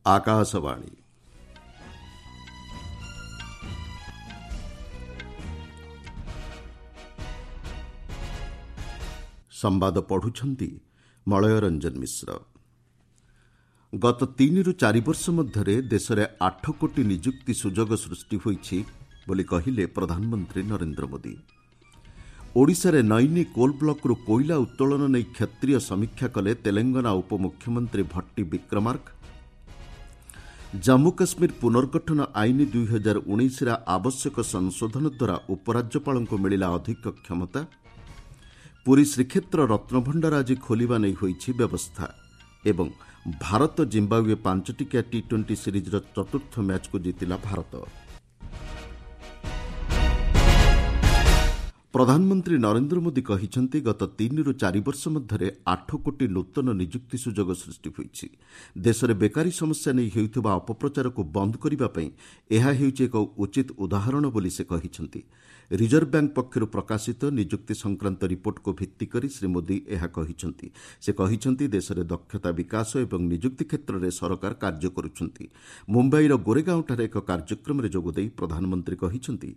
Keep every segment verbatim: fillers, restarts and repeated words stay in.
ଆକାଶବାଣୀ। ସମ୍ବାଦ ପଢୁଛନ୍ତି ମଳୟ ରଞ୍ଜନ ମିଶ୍ର। ଗତ ତିନିରୁ ଚାରି ବର୍ଷ ମଧ୍ୟରେ ଦେଶରେ ଆଠ କୋଟି ନିଯୁକ୍ତି ସୁଯୋଗ ସୃଷ୍ଟି ହୋଇଛି ବୋଲି କହିଲେ ପ୍ରଧାନମନ୍ତ୍ରୀ ନରେନ୍ଦ୍ର ମୋଦି। ଓଡ଼ିଶାରେ ନୈନି କୋଲ୍ ବ୍ଲକରୁ କୋଇଲା ଉତ୍ତୋଳନ ନେଇ କ୍ଷେତ୍ରୀୟ ସମୀକ୍ଷା କଲେ ତେଲେଙ୍ଗାନା ଉପମୁଖ୍ୟମନ୍ତ୍ରୀ ଭଟ୍ଟି ବିକ୍ରମାର୍କ। ଜାମ୍ମୁ କାଶ୍ମୀର ପୁନର୍ଗଠନ ଆଇନ ଦୁଇହଜାର ଉଣେଇଶରେ ଆବଶ୍ୟକ ସଂଶୋଧନ ଦ୍ୱାରା ଉପରାଜ୍ୟପାଳଙ୍କୁ ମିଳିଲା ଅଧିକ କ୍ଷମତା। ପୁରୀ ଶ୍ରୀକ୍ଷେତ୍ର ରତ୍ନଭଣ୍ଡାର ଆଜି ଖୋଲିବା ନେଇ ହୋଇଛି ବ୍ୟବସ୍ଥା। ଏବଂ ଭାରତ ଜିମ୍ବାୱେ ପାଞ୍ଚଟିକିଆ ଟି ଟ୍ୱେଣ୍ଟି ସିରିଜ୍ର ଚତୁର୍ଥ ମ୍ୟାଚ୍କୁ ଜିତିଲା ଭାରତ। ପ୍ରଧାନମନ୍ତ୍ରୀ ନରେନ୍ଦ୍ର ମୋଦି କହିଛନ୍ତି, ଗତ ତିନିରୁ ଚାରି ବର୍ଷ ମଧ୍ୟରେ ଆଠ କୋଟି ନୂତନ ନିଯୁକ୍ତି ସୁଯୋଗ ସୃଷ୍ଟି ହୋଇଛି। ଦେଶରେ ବେକାରୀ ସମସ୍ୟା ନେଇ ହେଉଥିବା ଅପପ୍ରଚାରକୁ ବନ୍ଦ କରିବା ପାଇଁ ଏହା ହେଉଛି ଏକ ଉଚିତ ଉଦାହରଣ ବୋଲି ସେ କହିଛନ୍ତି। ରିଜର୍ଭ ବ୍ୟାଙ୍କ ପକ୍ଷରୁ ପ୍ରକାଶିତ ନିଯୁକ୍ତି ସଂକ୍ରାନ୍ତ ରିପୋର୍ଟକୁ ଭିତ୍ତି କରି ଶ୍ରୀ ମୋଦି ଏହା କହିଛନ୍ତି। ସେ କହିଛନ୍ତି, ଦେଶରେ ଦକ୍ଷତା ବିକାଶ ଏବଂ ନିଯୁକ୍ତି କ୍ଷେତ୍ରରେ ସରକାର କାର୍ଯ୍ୟ କରୁଛନ୍ତି। ମୁମ୍ବାଇର ଗୋରେଗାଓଁଠାରେ ଏକ କାର୍ଯ୍ୟକ୍ରମରେ ଯୋଗଦେଇ ପ୍ରଧାନମନ୍ତ୍ରୀ କହିଛନ୍ତି,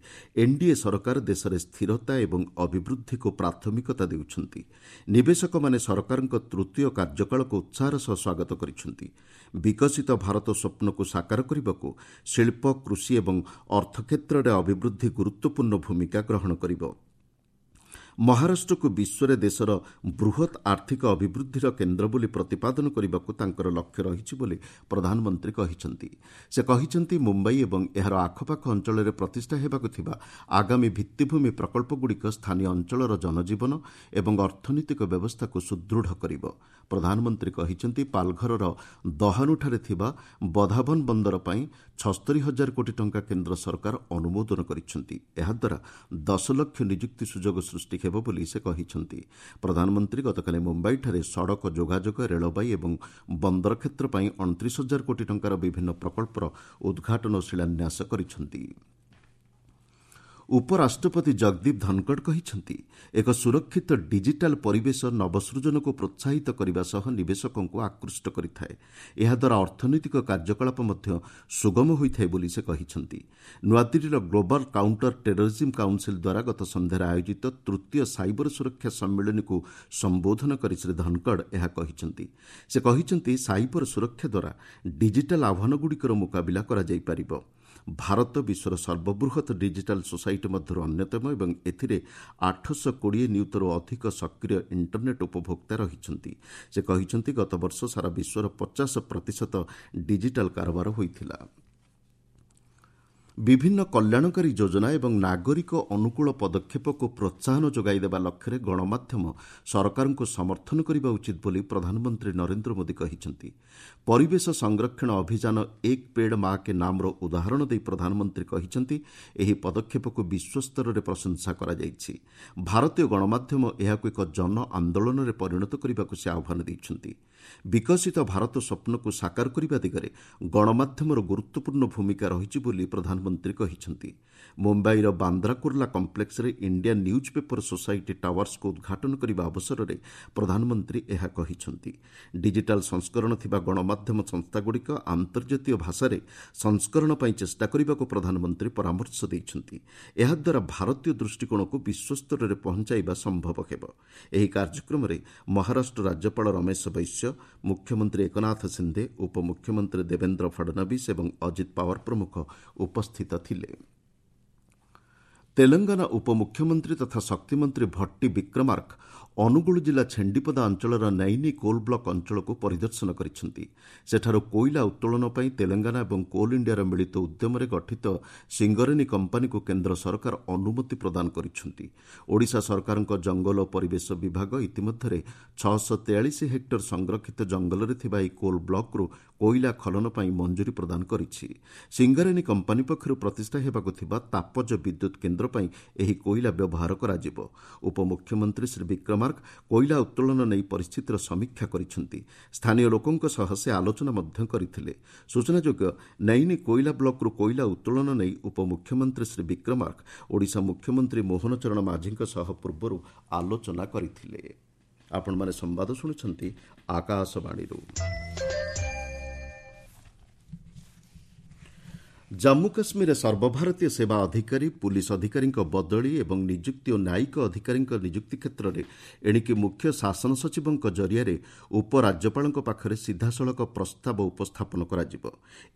ଏନ୍ଡିଏ ସରକାର ଦେଶରେ ସ୍ଥିରତା ଏବଂ ଅଭିବୃଦ୍ଧିକୁ ପ୍ରାଥମିକତା ଦେଉଛନ୍ତି। ନିବେଶକମାନେ ସରକାରଙ୍କ ତୃତୀୟ କାର୍ଯ୍ୟକାଳକୁ ଉତ୍ସାହର ସହ ସ୍ୱାଗତ କରିଛନ୍ତି। ବିକଶିତ ଭାରତ ସ୍ୱପ୍ନକୁ ସାକାର କରିବାକୁ ଶିଳ୍ପ, କୃଷି ଏବଂ ଅର୍ଥକ୍ଷେତ୍ରରେ ଅଭିବୃଦ୍ଧି ଗୁରୁତ୍ୱପୂର୍ଣ୍ଣ ଭୂମିକା ଗ୍ରହଣ କରିବ। ମହାରାଷ୍ଟ୍ରକୁ ବିଶ୍ୱରେ ଦେଶର ବୃହତ୍ ଆର୍ଥିକ ଅଭିବୃଦ୍ଧିର କେନ୍ଦ୍ର ବୋଲି ପ୍ରତିପାଦନ କରିବାକୁ ତାଙ୍କର ଲକ୍ଷ୍ୟ ରହିଛି ବୋଲି ପ୍ରଧାନମନ୍ତ୍ରୀ କହିଛନ୍ତି। ସେ କହିଛନ୍ତି, ମୁମ୍ବାଇ ଏବଂ ଏହାର ଆଖପାଖ ଅଞ୍ଚଳରେ ପ୍ରତିଷ୍ଠା ହେବାକୁ ଥିବା ଆଗାମୀ ଭିତ୍ତିଭୂମି ପ୍ରକଳ୍ପଗୁଡ଼ିକ ସ୍ଥାନୀୟ ଅଞ୍ଚଳର ଜନଜୀବନ ଏବଂ ଅର୍ଥନୈତିକ ବ୍ୟବସ୍ଥାକୁ ସୁଦୃଢ଼ କରିବ। ପ୍ରଧାନମନ୍ତ୍ରୀ କହିଛନ୍ତି, ପାଲଘରର ଦହାନୁଠାରେ ଥିବା ବଧାବନ ବନ୍ଦର ପାଇଁ ଛସ୍ତରୀ ହଜାର କୋଟି ଟଙ୍କା କେନ୍ଦ୍ର ସରକାର ଅନୁମୋଦନ କରିଛନ୍ତି। ଏହାଦ୍ୱାରା ଦଶ ଲକ୍ଷ ନିଯୁକ୍ତି ସୁଯୋଗ ସୃଷ୍ଟି ହେବ ବୋଲି ସେ କହିଛନ୍ତି। ପ୍ରଧାନମନ୍ତ୍ରୀ ଗତକାଲି ମୁମ୍ବାଇଠାରେ ସଡ଼କ ଯୋଗାଯୋଗ, ରେଳବାଇ ଏବଂ ବନ୍ଦର କ୍ଷେତ୍ର ପାଇଁ ଅଣତିରିଶ ହଜାର କୋଟି ଟଙ୍କାର ବିଭିନ୍ନ ପ୍ରକଳ୍ପର ଉଦ୍ଘାଟନ ଓ ଶିଳାନ୍ୟାସ କରିଛନ୍ତି। ଉପରାଷ୍ଟ୍ରପତି ଜଗଦୀପ ଧନଖଡ଼ କହିଛନ୍ତି, ଏକ ସୁରକ୍ଷିତ ଡିଜିଟାଲ୍ ପରିବେଶ ନବସୃଜନକୁ ପ୍ରୋତ୍ସାହିତ କରିବା ସହ ନିବେଶକଙ୍କୁ ଆକୃଷ୍ଟ କରିଥାଏ। ଏହାଦ୍ୱାରା ଅର୍ଥନୈତିକ କାର୍ଯ୍ୟକଳାପ ମଧ୍ୟ ସୁଗମ ହୋଇଥାଏ ବୋଲି ସେ କହିଛନ୍ତି। ନୂଆଦିଲ୍ଲୀର ଗ୍ଲୋବାଲ୍ କାଉଣ୍ଟର ଟେରରିଜିମ୍ କାଉନ୍ସିଲ୍ ଦ୍ୱାରା ଗତ ସନ୍ଧ୍ୟାରେ ଆୟୋଜିତ ତୃତୀୟ ସାଇବର ସୁରକ୍ଷା ସମ୍ମିଳନୀକୁ ସମ୍ବୋଧନ କରି ଶ୍ରୀ ଧନଖଡ଼ ଏହା କହିଛନ୍ତି। ସେ କହିଛନ୍ତି, ସାଇବର ସୁରକ୍ଷା ଦ୍ୱାରା ଡିଜିଟାଲ୍ ଆହ୍ୱାନଗୁଡ଼ିକର ମୁକାବିଲା କରାଯାଇପାରିବ। ଭାରତ ବିଶ୍ୱର ସର୍ବବୃହତ୍ ଡିଜିଟାଲ୍ ସୋସାଇଟି ମଧ୍ୟରୁ ଅନ୍ୟତମ ଏବଂ ଏଥିରେ ଆଠଶହ କୋଡ଼ିଏ ନିୟୁତରୁ ଅଧିକ ସକ୍ରିୟ ଇଣ୍ଟରନେଟ୍ ଉପଭୋକ୍ତା ରହିଛନ୍ତି। ସେ କହିଛନ୍ତି, ଗତବର୍ଷ ସାରା ବିଶ୍ୱର ପଚାଶ ପ୍ରତିଶତ ଡିଜିଟାଲ୍ କାରବାର ହୋଇଥିଲା। ବିଭିନ୍ନ କଲ୍ୟାଣକାରୀ ଯୋଜନା ଏବଂ ନାଗରିକ ଅନୁକୂଳ ପଦକ୍ଷେପକୁ ପ୍ରୋତ୍ସାହନ ଯୋଗାଇ ଦେବା ଲକ୍ଷ୍ୟରେ ଗଣମାଧ୍ୟମ ସରକାରଙ୍କୁ ସମର୍ଥନ କରିବା ଉଚିତ ବୋଲି ପ୍ରଧାନମନ୍ତ୍ରୀ ନରେନ୍ଦ୍ର ମୋଦି କହିଛନ୍ତି। ପରିବେଶ ସଂରକ୍ଷଣ ଅଭିଯାନ ଏକ ପେଡ଼ ମା କେ ନାମର ଉଦାହରଣ ଦେଇ ପ୍ରଧାନମନ୍ତ୍ରୀ କହିଛନ୍ତି, ଏହି ପଦକ୍ଷେପକୁ ବିଶ୍ୱସ୍ତରରେ ପ୍ରଶଂସା କରାଯାଇଛି। ଭାରତୀୟ ଗଣମାଧ୍ୟମ ଏହାକୁ ଏକ ଜନ ଆନ୍ଦୋଳନରେ ପରିଣତ କରିବାକୁ ସେ ଆହ୍ୱାନ ଦେଇଛନ୍ତି। ବିକଶିତ ଭାରତ ସ୍ୱପ୍ନକୁ ସାକାର କରିବା ଦିଗରେ ଗଣମାଧ୍ୟମର ଗୁରୁତ୍ୱପୂର୍ଣ୍ଣ ଭୂମିକା ରହିଛି ବୋଲି ପ୍ରଧାନମନ୍ତ୍ରୀ କହିଛନ୍ତି। ମୁମ୍ବାଇର ବାନ୍ଦ୍ରା କୁର୍ଲା କମ୍ପ୍ଲେକ୍ସରେ ଇଣ୍ଡିଆନ୍ ନ୍ୟୁଜ୍ ପେପର ସୋସାଇଟି ଟାୱାର୍ସକୁ ଉଦ୍ଘାଟନ କରିବା ଅବସରରେ ପ୍ରଧାନମନ୍ତ୍ରୀ ଏହା କହିଛନ୍ତି। ଡିଜିଟାଲ୍ ସଂସ୍କରଣ ଥିବା ଗଣମାଧ୍ୟମ ସଂସ୍ଥାଗୁଡ଼ିକ ଆନ୍ତର୍ଜାତୀୟ ଭାଷାରେ ସଂସ୍କରଣ ପାଇଁ ଚେଷ୍ଟା କରିବାକୁ ପ୍ରଧାନମନ୍ତ୍ରୀ ପରାମର୍ଶ ଦେଇଛନ୍ତି। ଏହାଦ୍ୱାରା ଭାରତୀୟ ଦୃଷ୍ଟିକୋଣକୁ ବିଶ୍ୱସ୍ତରରେ ପହଞ୍ଚାଇବା ସମ୍ଭବ ହେବ। ଏହି କାର୍ଯ୍ୟକ୍ରମରେ ମହାରାଷ୍ଟ୍ର ରାଜ୍ୟପାଳ ରମେଶ ବୈଶ୍ୟ, ମୁଖ୍ୟମନ୍ତ୍ରୀ ଏକନାଥ ସିନ୍ଧେ, ଉପମୁଖ୍ୟମନ୍ତ୍ରୀ ଦେବେନ୍ଦ୍ର ଫଡ଼ନବିସ୍ ଏବଂ ଅଜିତ ପାୱାର ପ୍ରମୁଖ ଉପସ୍ଥିତ ଥିଲେ। ତେଲେଙ୍ଗାନା ଉପମୁଖ୍ୟମନ୍ତ୍ରୀ ତଥା ଶକ୍ତିମନ୍ତ୍ରୀ ଭଟ୍ଟି ବିକ୍ରମାର୍କ ଅନୁଗୁଳ ଜିଲ୍ଲା ଛେଣ୍ଡିପଦା ଅଞ୍ଚଳର ନୈନି କୋଲ୍ ବ୍ଲକ ଅଞ୍ଚଳକୁ ପରିଦର୍ଶନ କରିଛନ୍ତି। ସେଠାରୁ କୋଇଲା ଉତ୍ତୋଳନ ପାଇଁ ତେଲେଙ୍ଗାନା ଏବଂ କୋଲ୍ ଇଣ୍ଡିଆର ମିଳିତ ଉଦ୍ୟମରେ ଗଠିତ ସିଙ୍ଗରେନି କମ୍ପାନୀକୁ କେନ୍ଦ୍ର ସରକାର ଅନୁମତି ପ୍ରଦାନ କରିଛନ୍ତି। ଓଡ଼ିଶା ସରକାରଙ୍କ ଜଙ୍ଗଲ ଓ ପରିବେଶ ବିଭାଗ ଇତିମଧ୍ୟରେ ଛଅଶହ ତେୟାଳିଶ ହେକ୍ଟର ସଂରକ୍ଷିତ ଜଙ୍ଗଲରେ ଥିବା ଏହି କୋଲ୍ ବ୍ଲକରୁ କୋଇଲା ଖନନ ପାଇଁ ମଞ୍ଜୁରୀ ପ୍ରଦାନ କରିଛି। ସିଙ୍ଗରେନି କମ୍ପାନୀ ପକ୍ଷରୁ ପ୍ରତିଷ୍ଠା ହେବାକୁ ଥିବା ତାପଜ ବିଦ୍ୟୁତ୍ କେନ୍ଦ୍ର ପାଇଁ ଏହି କୋଇଲା ବ୍ୟବହାର କରାଯିବ। ଉପମୁଖ୍ୟମନ୍ତ୍ରୀ ଶ୍ରୀ ବିକ୍ରମାର୍କ କୋଇଲା ଉତ୍ତୋଳନ ନେଇ ପରିସ୍ଥିତିର ସମୀକ୍ଷା କରିଛନ୍ତି। ସ୍ଥାନୀୟ ଲୋକଙ୍କ ସହ ସେ ଆଲୋଚନା ମଧ୍ୟ କରିଥିଲେ। ସୂଚନାଯୋଗ୍ୟ, ନୈନି କୋଇଲା ବ୍ଲକରୁ କୋଇଲା ଉତ୍ତୋଳନ ନେଇ ଉପମୁଖ୍ୟମନ୍ତ୍ରୀ ଶ୍ରୀ ବିକ୍ରମାର୍କ ଓଡ଼ିଶା ମୁଖ୍ୟମନ୍ତ୍ରୀ ମୋହନ ଚରଣ ମାଝୀଙ୍କ ସହ ପୂର୍ବରୁ ଆଲୋଚନା କରିଥିଲେ। ଆପଣମାନେ ସମ୍ବାଦ ଶୁଣୁଛନ୍ତି ଆକାଶବାଣୀରୁ। ଜାମ୍ମୁ କାଶ୍ମୀରରେ ସର୍ବଭାରତୀୟ ସେବା ଅଧିକାରୀ, ପୁଲିସ୍ ଅଧିକାରୀଙ୍କ ବଦଳି ଏବଂ ନିଯୁକ୍ତି ଓ ନ୍ୟାୟିକ ଅଧିକାରୀଙ୍କ ନିଯୁକ୍ତି କ୍ଷେତ୍ରରେ ଏଣିକି ମୁଖ୍ୟ ଶାସନ ସଚିବଙ୍କ ଜରିଆରେ ଉପରାଜ୍ୟପାଳଙ୍କ ପାଖରେ ସିଧାସଳଖ ପ୍ରସ୍ତାବ ଉପସ୍ଥାପନ କରାଯିବ।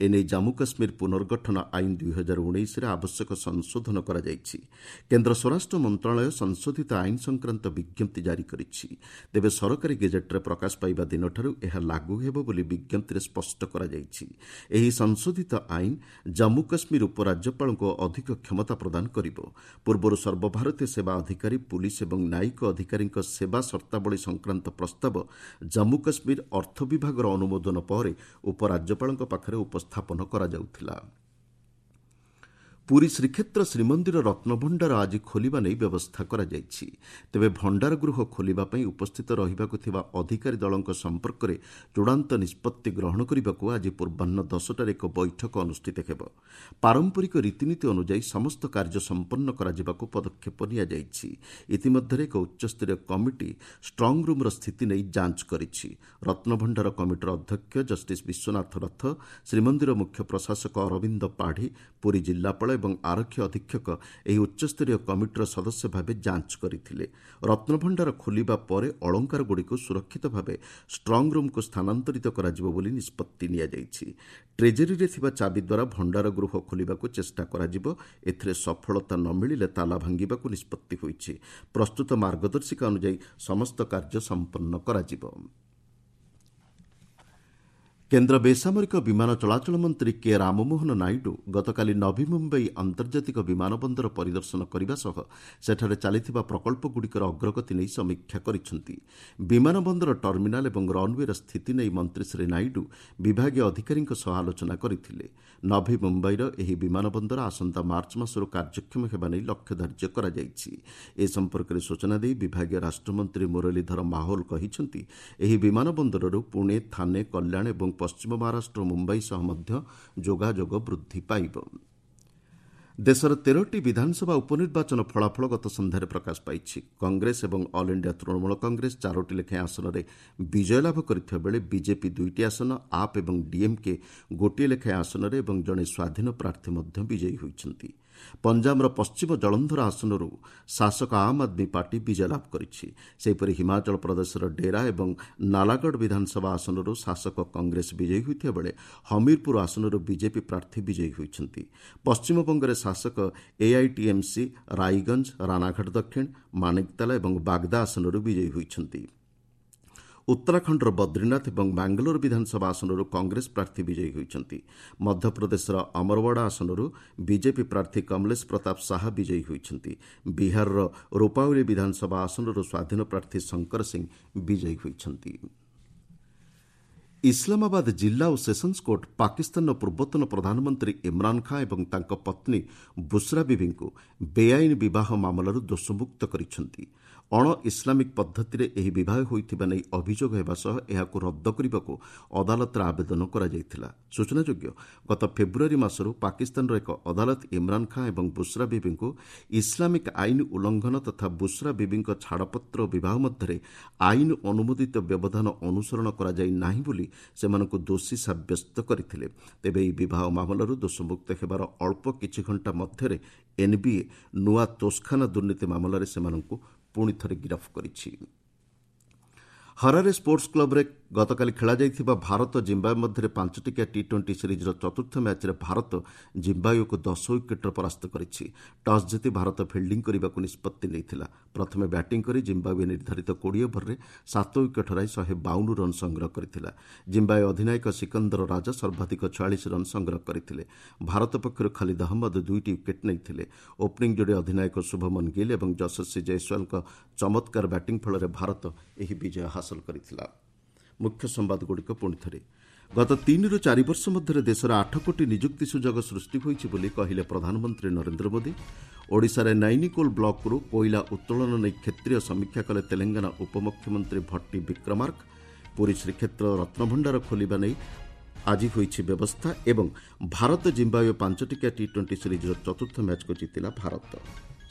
ଏନେଇ ଜାମ୍ମୁ କାଶ୍ମୀର ପୁନର୍ଗଠନ ଆଇନ ଦୁଇହଜାର ଉଣେଇଶରେ ଆବଶ୍ୟକ ସଂଶୋଧନ କରାଯାଇଛି। କେନ୍ଦ୍ର ସ୍ୱରାଷ୍ଟ୍ର ମନ୍ତ୍ରଣାଳୟ ସଂଶୋଧିତ ଆଇନ ସଂକ୍ରାନ୍ତ ବିଜ୍ଞପ୍ତି ଜାରି କରିଛି। ତେବେ ସରକାରୀ ଗେଜେଟ୍ରେ ପ୍ରକାଶ ପାଇବା ଦିନଠାରୁ ଏହା ଲାଗୁ ହେବ ବୋଲି ବିଜ୍ଞପ୍ତିରେ ସ୍ପଷ୍ଟ କରାଯାଇଛି। ଏହି ସଂଶୋଧିତ ଆଇନ ଜାମ୍ମୁ କାଶ୍ମୀର ଉପରାଜ୍ୟପାଳଙ୍କୁ ଅଧିକ କ୍ଷମତା ପ୍ରଦାନ କରିବ। ପୂର୍ବରୁ ସର୍ବଭାରତୀୟ ସେବା ଅଧିକାରୀ, ପୁଲିସ୍ ଏବଂ ନ୍ୟାୟିକ ଅଧିକାରୀଙ୍କ ସେବା ସର୍ତ୍ତାବଳୀ ସଂକ୍ରାନ୍ତ ପ୍ରସ୍ତାବ ଜାମ୍ମୁ କାଶ୍ମୀର ଅର୍ଥ ବିଭାଗର ଅନୁମୋଦନ ପରେ ଉପରାଜ୍ୟପାଳଙ୍କ ପାଖରେ ଉପସ୍ଥାପନ କରାଯାଉଥିଲା। ପୁରୀ ଶ୍ରୀକ୍ଷେତ୍ର ଶ୍ରୀମନ୍ଦିର ରତ୍ନଭଣ୍ଡାର ଆଜି ଖୋଲିବା ନେଇ ବ୍ୟବସ୍ଥା କରାଯାଇଛି। ତେବେ ଭଣ୍ଡାର ଗୃହ ଖୋଲିବା ପାଇଁ ଉପସ୍ଥିତ ରହିବାକୁ ଥିବା ଅଧିକାରୀ ଦଳଙ୍କ ସମ୍ପର୍କରେ ଚୂଡ଼ାନ୍ତ ନିଷ୍ପତ୍ତି ଗ୍ରହଣ କରିବାକୁ ଆଜି ପୂର୍ବାହ୍ନ ଦଶଟାରେ ଏକ ବୈଠକ ଅନୁଷ୍ଠିତ ହେବ। ପାରମ୍ପରିକ ରୀତିନୀତି ଅନୁଯାୟୀ ସମସ୍ତ କାର୍ଯ୍ୟ ସମ୍ପନ୍ନ କରାଯିବାକୁ ପଦକ୍ଷେପ ନିଆଯାଇଛି। ଇତିମଧ୍ୟରେ ଏକ ଉଚ୍ଚସ୍ତରୀୟ କମିଟି ଷ୍ଟ୍ରଙ୍ଗ ରୁମ୍ର ସ୍ଥିତି ନେଇ ଯାଞ୍ଚ କରିଛି। ରତ୍ନଭଣ୍ଡାର କମିଟିର ଅଧ୍ୟକ୍ଷ ଜଷ୍ଟିସ୍ ବିଶ୍ୱନାଥ ରଥ, ଶ୍ରୀମନ୍ଦିର ମୁଖ୍ୟ ପ୍ରଶାସକ ଅରବିନ୍ଦ ପାଢ଼ୀ, ପୁରୀ ଜିଲ୍ଲାପାଳ ଏବଂ ଆରକ୍ଷୀ ଅଧୀକ୍ଷକ ଏହି ଉଚ୍ଚସ୍ତରୀୟ କମିଟିର ସଦସ୍ୟ ଭାବେ ଯାଞ୍ଚ କରିଥିଲେ। ରତ୍ନଭଣ୍ଡାର ଖୋଲିବା ପରେ ଅଳଙ୍କାରଗୁଡ଼ିକୁ ସୁରକ୍ଷିତ ଭାବେ ଷ୍ଟ୍ରଙ୍ଗ ରୁମ୍କୁ ସ୍ଥାନାନ୍ତରିତ କରାଯିବ ବୋଲି ନିଷ୍ପତ୍ତି ନିଆଯାଇଛି। ଟ୍ରେଜେରୀରେ ଥିବା ଚାବି ଦ୍ୱାରା ଭଣ୍ଡାର ଗୃହ ଖୋଲିବାକୁ ଚେଷ୍ଟା କରାଯିବ। ଏଥିରେ ସଫଳତା ନ ମିଳିଲେ ତାଲା ଭାଙ୍ଗିବାକୁ ନିଷ୍ପତ୍ତି ହୋଇଛି। ପ୍ରସ୍ତୁତ ମାର୍ଗଦର୍ଶିକା ଅନୁଯାୟୀ ସମସ୍ତ କାର୍ଯ୍ୟ ସମ୍ପନ୍ନ କରାଯିବ। କେନ୍ଦ୍ର ବେସାମରିକ ବିମାନ ଚଳାଚଳ ମନ୍ତ୍ରୀ କେ ରାମମୋହନ ନାଇଡୁ ଗତକାଲି ନଭି ମୁମ୍ବାଇ ଆନ୍ତର୍ଜାତିକ ବିମାନ ବନ୍ଦର ପରିଦର୍ଶନ କରିବା ସହ ସେଠାରେ ଚାଲିଥିବା ପ୍ରକଳ୍ପଗୁଡ଼ିକର ଅଗ୍ରଗତି ନେଇ ସମୀକ୍ଷା କରିଛନ୍ତି। ବିମାନ ବନ୍ଦର ଟର୍ମିନାଲ ଏବଂ ରନ୍ୱେର ସ୍ଥିତି ନେଇ ମନ୍ତ୍ରୀ ଶ୍ରୀ ନାଇଡୁ ବିଭାଗୀୟ ଅଧିକାରୀଙ୍କ ସହ ଆଲୋଚନା କରିଥିଲେ। ନଭି ମୁମ୍ବାଇର ଏହି ବିମାନ ବନ୍ଦର ଆସନ୍ତା ମାର୍ଚ୍ଚ ମାସରୁ କାର୍ଯ୍ୟକ୍ଷମ ହେବା ନେଇ ଲକ୍ଷ୍ୟ ଧାର୍ଯ୍ୟ କରାଯାଇଛି। ଏ ସମ୍ପର୍କରେ ସୂଚନା ଦେଇ ବିଭାଗୀୟ ରାଷ୍ଟ୍ରମନ୍ତ୍ରୀ ମୁରଲୀଧର ମାହୋଲ କହିଛନ୍ତି, ଏହି ବିମାନ ବନ୍ଦରରୁ ପୁଣେ, ଥାନେ, କଲ୍ୟାଣ ଏବଂ ପଶ୍ଚିମ ମହାରାଷ୍ଟ୍ର, ମୁମ୍ବାଇ ସହ ମଧ୍ୟ ଯୋଗାଯୋଗ ବୃଦ୍ଧି ପାଇବ। ଦେଶର ତେରଟି ବିଧାନସଭା ଉପନିର୍ବାଚନ ଫଳାଫଳ ଗତ ସନ୍ଧ୍ୟାରେ ପ୍ରକାଶ ପାଇଛି। କଂଗ୍ରେସ ଏବଂ ଅଲ୍ ଇଣ୍ଡିଆ ତୃଣମୂଳ କଂଗ୍ରେସ ଚାରୋଟି ଲେଖାଏଁ ଆସନରେ ବିଜୟ ଲାଭ କରିଥିବା ବେଳେ ବିଜେପି ଦୁଇଟି ଆସନ, ଆପ୍ ଏବଂ ଡିଏମ୍କେ ଗୋଟିଏ ଲେଖାଏଁ ଆସନରେ ଏବଂ ଜଣେ ସ୍ୱାଧୀନ ପ୍ରାର୍ଥୀ ମଧ୍ୟ ବିଜୟୀ ହୋଇଛନ୍ତି। ପଞ୍ଜାବର ପଶ୍ଚିମ ଜଳନ୍ଧର ଆସନରୁ ଶାସକ ଆମ୍ ଆଦମୀ ପାର୍ଟି ବିଜୟ ଲାଭ କରିଛି। ସେହିପରି ହିମାଚଳ ପ୍ରଦେଶର ଡେରା ଏବଂ ନାଲାଗଡ଼ ବିଧାନସଭା ଆସନରୁ ଶାସକ କଂଗ୍ରେସ ବିଜୟୀ ହୋଇଥିବା ବେଳେ ହମିରପୁର ଆସନରୁ ବିଜେପି ପ୍ରାର୍ଥୀ ବିଜୟୀ ହୋଇଛନ୍ତି। ପଶ୍ଚିମବଙ୍ଗରେ ଶାସକ ଏଆଇଟିଏମ୍ସି ରାଇଗଞ୍ଜ, ରାନାଘାଟ ଦକ୍ଷିଣ, ମାନିକତାଲା ଏବଂ ବାଗଦା ଆସନରୁ ବିଜୟୀ ହୋଇଛନ୍ତି। ଉତ୍ତରାଖଣ୍ଡର ବଦ୍ରିନାଥ ଏବଂ ବାଙ୍ଗାଲୋର ବିଧାନସଭା ଆସନରୁ କଂଗ୍ରେସ ପ୍ରାର୍ଥୀ ବିଜୟୀ ହୋଇଛନ୍ତି। ମଧ୍ୟପ୍ରଦେଶର ଅମରୱାଡ଼ା ଆସନରୁ ବିଜେପି ପ୍ରାର୍ଥୀ କମଲେଶ ପ୍ରତାପ ଶାହା ବିଜୟୀ ହୋଇଛନ୍ତି। ବିହାରର ରୋପାଉଲି ବିଧାନସଭା ଆସନରୁ ସ୍ୱାଧୀନ ପ୍ରାର୍ଥୀ ଶଙ୍କର ସିଂ ବିଜୟୀ ହୋଇଛନ୍ତି। ଇସଲାମାବାଦ ଜିଲ୍ଲା ଓ ସେସନ୍ସ କୋର୍ଟ ପାକିସ୍ତାନର ପୂର୍ବତନ ପ୍ରଧାନମନ୍ତ୍ରୀ ଇମ୍ରାନ୍ ଖାଁ ଏବଂ ତାଙ୍କ ପତ୍ନୀ ବୁସ୍ରା ବିବିଙ୍କୁ ବେଆଇନ ବିବାହ ମାମଲାରୁ ଦୋଷମୁକ୍ତ କରିଛନ୍ତି। ଅଣ ଇସଲାମିକ ପଦ୍ଧତିରେ ଏହି ବିବାହ ହୋଇଥିବା ନେଇ ଅଭିଯୋଗ ହେବା ସହ ଏହାକୁ ରଦ୍ଦ କରିବାକୁ ଅଦାଲତରେ ଆବେଦନ କରାଯାଇଥିଲା। ସୂଚନାଯୋଗ୍ୟ, ଗତ ଫେବୃଆରୀ ମାସରୁ ପାକିସ୍ତାନର ଏକ ଅଦାଲତ ଇମ୍ରାନ୍ ଖାଁ ଏବଂ ବୁସ୍ରା ବିବିଙ୍କୁ ଇସଲାମିକ ଆଇନ ଉଲ୍ଲଂଘନ ତଥା ବୁସ୍ରା ବିବିଙ୍କ ଛାଡ଼ପତ୍ର ଓ ବିବାହ ମଧ୍ୟରେ ଆଇନ ଅନୁମୋଦିତ ବ୍ୟବଧାନ ଅନୁସରଣ କରାଯାଇ ନାହିଁ ବୋଲି ସେମାନଙ୍କୁ ଦୋଷୀ ସାବ୍ୟସ୍ତ କରିଥିଲେ। ତେବେ ଏହି ବିବାହ ମାମଲାରୁ ଦୋଷମୁକ୍ତ ହେବାର ଅଳ୍ପ କିଛି ଘଣ୍ଟା ମଧ୍ୟରେ ଏନ୍ବିଏ ନୂଆ ତୋଷଖାନା ଦୁର୍ନୀତି ମାମଲାରେ ସେମାନଙ୍କୁ ପୁଣି ଥରେ ଗିରଫ କରିଛି। ହରାରେ ସ୍ପୋର୍ଟସ୍ କ୍ଲବ୍ରେ ଗତକାଲି ଖେଳାଯାଇଥିବା ଭାରତ ଜିମ୍ବାୱେ ମଧ୍ୟରେ ପାଞ୍ଚଟିକିଆ ଟି ଟ୍ୱେଣ୍ଟି ସିରିଜ୍ର ଚତୁର୍ଥ ମ୍ୟାଚ୍ରେ ଭାରତ ଜିମ୍ବାୱେକୁ ଦଶ ୱିକେଟ୍ରେ ପରାସ୍ତ କରିଛି। ଟସ୍ ଜିତି ଭାରତ ଫିଲ୍ଡିଂ କରିବାକୁ ନିଷ୍ପତ୍ତି ନେଇଥିଲା। ପ୍ରଥମେ ବ୍ୟାଟିଂ କରି ଜିମ୍ବାୱେ ନିର୍ଦ୍ଧାରିତ କୋଡ଼ିଏ ଓଭରରେ ସାତ ୱିକେଟ୍ ହରାଇ ଶହେ ବାଉନ ରନ୍ ସଂଗ୍ରହ କରିଥିଲା। ଜିମ୍ବାୱେ ଅଧିନାୟକ ସିକନ୍ଦର ରାଜା ସର୍ବାଧିକ ଛୟାଳିଶ ରନ୍ ସଂଗ୍ରହ କରିଥିଲେ। ଭାରତ ପକ୍ଷରୁ ଖାଲିଦ ଅହମ୍ମଦ ଦୁଇଟି ୱିକେଟ୍ ନେଇଥିଲେ। ଓପନିଂ ଯୋଡ଼ି ଅଧିନାୟକ ଶୁଭମନ ଗିଲ୍ ଏବଂ ଯଶସ୍ୱୀ ଜୟସ୍ୱାଲଙ୍କ ଚମତ୍କାର ବ୍ୟାଟିଂ ଫଳରେ ଭାରତ ଏହି ବିଜୟ ହାସଲ କରିଥିଲା। ମୁଖ୍ୟ ସମ୍ବାଦଗୁଡ଼ିକ ପୁଣି ଥରେ। ଗତ ତିନିରୁ ଚାରି ବର୍ଷ ମଧ୍ୟରେ ଦେଶରେ ଆଠ କୋଟି ନିଯୁକ୍ତି ସୁଯୋଗ ସୃଷ୍ଟି ହୋଇଛି ବୋଲି କହିଲେ ପ୍ରଧାନମନ୍ତ୍ରୀ ନରେନ୍ଦ୍ର ମୋଦି। ଓଡ଼ିଶାରେ ନାଇନିକୋଲ ବ୍ଲକରୁ କୋଇଲା ଉତ୍ତୋଳନ ନେଇ କ୍ଷେତ୍ରୀୟ ସମୀକ୍ଷା କଲେ ତେଲେଙ୍ଗାନା ଉପମୁଖ୍ୟମନ୍ତ୍ରୀ ଭଟ୍ଟି ବିକ୍ରମାର୍କ। ପୁରୀ ଶ୍ରୀକ୍ଷେତ୍ର ରତ୍ନଭଣ୍ଡାର ଖୋଲିବା ନେଇ ଆଜି ହୋଇଛି ବ୍ୟବସ୍ଥା ଏବଂ ଭାରତ ଜିମ୍ବାୱେ ପାଞ୍ଚଟିକିଆ ଟି ଟ୍ୱେଣ୍ଟି ସିରିଜ୍ର ଚତୁର୍ଥ ମ୍ୟାଚ୍କୁ ଜିତିଲା ଭାରତ।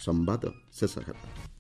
ସମ୍ବାଦ ଶେଷ ହେଲା।